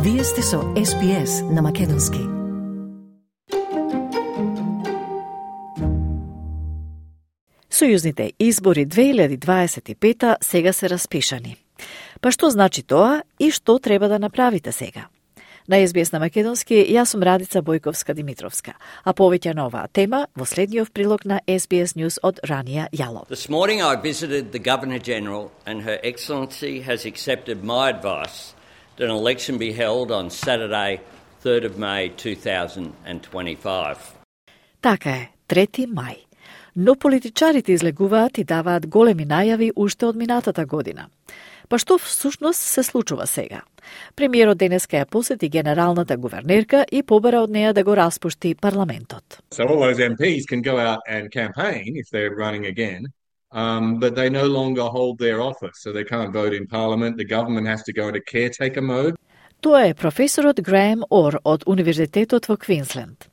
Вие сте со SBS на македонски. Сојузните избори 2025 сега се распишани. Па што значи тоа и што треба да направите сега? На SBS на македонски, јас сум Радица Бојковска-Димитровска, а повеќе на оваа тема во следниот прилог на SBS News од Рания Јалов. This morning I visited the Governor-General and Her Excellency has accepted my advice that an election be held on Saturday, 3rd of May 2025. Така е, 3 мај. Но политичарите излегуваат и даваат големи најави уште од минатата година. Па што всушност се случува сега? Премиерот денеска ја посети генералната гувернерка и побара од неа да го распушти парламентот. So all those MPs can go out and campaign if they're running again, but they no longer hold their office, so they can't vote in Parliament. The government has to go into caretaker mode. Тоа е професорот Греем Ор од Универзитетот во Квинсленд.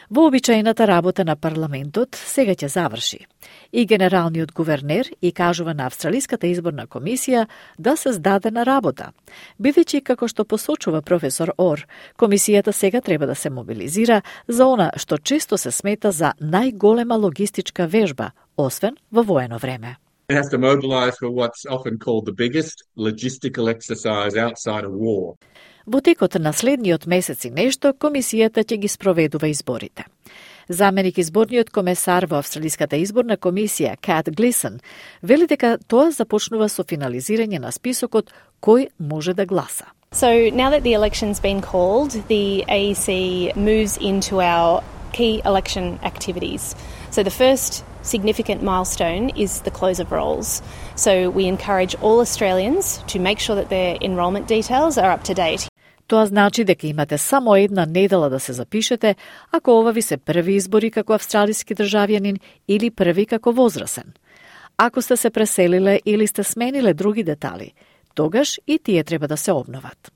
Вообичаената работа на парламентот сега ќе заврши. И генералниот гувернер и кажува на Австралиската изборна комисија да се здаде на работа. Бидејќи, како што посочува професор Ор, комисијата сега треба да се мобилизира за она што често се смета за најголема логистичка вежба, освен во воено време. It has to mobilize for what's often called the biggest logistical exercise outside of war. Во текот на следниот месец и нешто, комисијата ќе ги спроведува изборите. Заменик изборниот комесар во Австралиската изборна комисија, Кат Глисон, вели дека тоа започнува со финализирање на списокот кој може да гласа. So now that the election's been called, the AEC moves into our key election activities. So the first significant milestone is the close of rolls. So we encourage all Australians to make sure that their enrolment details are up to date. Тоа значи дека имате само една недела да се запишете, ако ова ви се први избори како австралиски државјанин или први како возрасен. Ако сте се преселиле или сте смениле други детали, тогаш и тие треба да се обноват.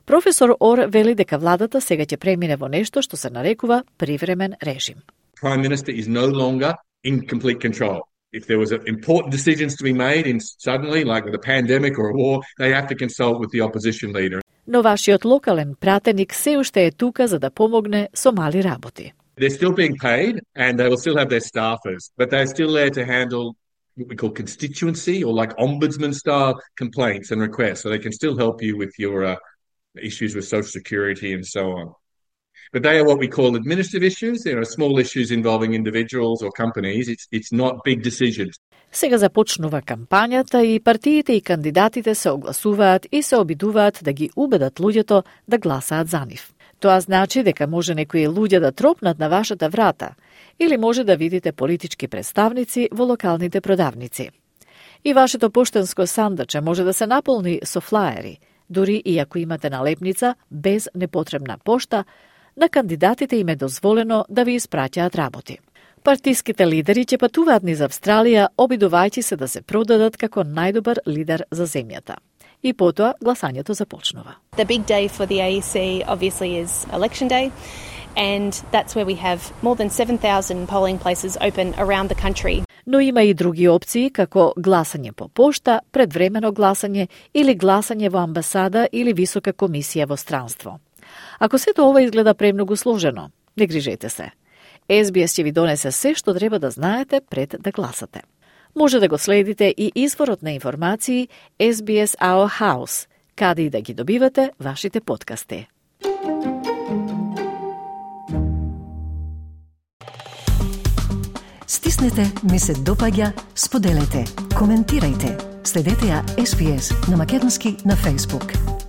Професор Ор вели дека владата сега ќе премине во нешто што се нарекува привремен режим. Prime Minister is no longer in complete control. If there was important decisions to be made suddenly, like with a pandemic or a war, they have to consult with the opposition leader. Но вашиот локален пратеник се уште е тука за да помогне со мали работи. They're still being paid and they will still have their staffers, but they're still there to handle what we call constituency or like ombudsman style complaints and requests, so they can still help you with your issues with Social Security and so on. But they are what we call administrative issues. There are small issues involving individuals or companies. It's not big decisions. Сега започнува кампањата и партиите и кандидатите се огласуваат и се обидуваат да ги убедат луѓето да гласаат за нив. Тоа значи дека може некои луѓе да тропнат на вашата врата или може да видите политички представници во локалните продавници. И вашето поштенско сандаче може да се наполни со флаери, дури и ако имате налепница без непотребна пошта, на кандидатите им е дозволено да ви испраќаат работи. Партиските лидери ќе патуваат низ Австралија, обидувајќи се да се продадат како најдобар лидер за земјата. И потоа гласањето започнува. The big day for the AEC obviously is election day, and that's where we have more than 7,000 polling places open around the country. Но има и други опции, како гласање по пошта, предвремено гласање или гласање во амбасада или висока комисија во странство. Ако сето ова изгледа премногу сложено, не грижете се. SBS ќе ви донесе се што треба да знаете пред да гласате. Може да го следите и изворот на информации SBS Our House, каде и да ги добивате вашите подкасти. Стиснете, ми се допаѓа, споделете, коментирајте. Следете ја SBS на македонски на Facebook.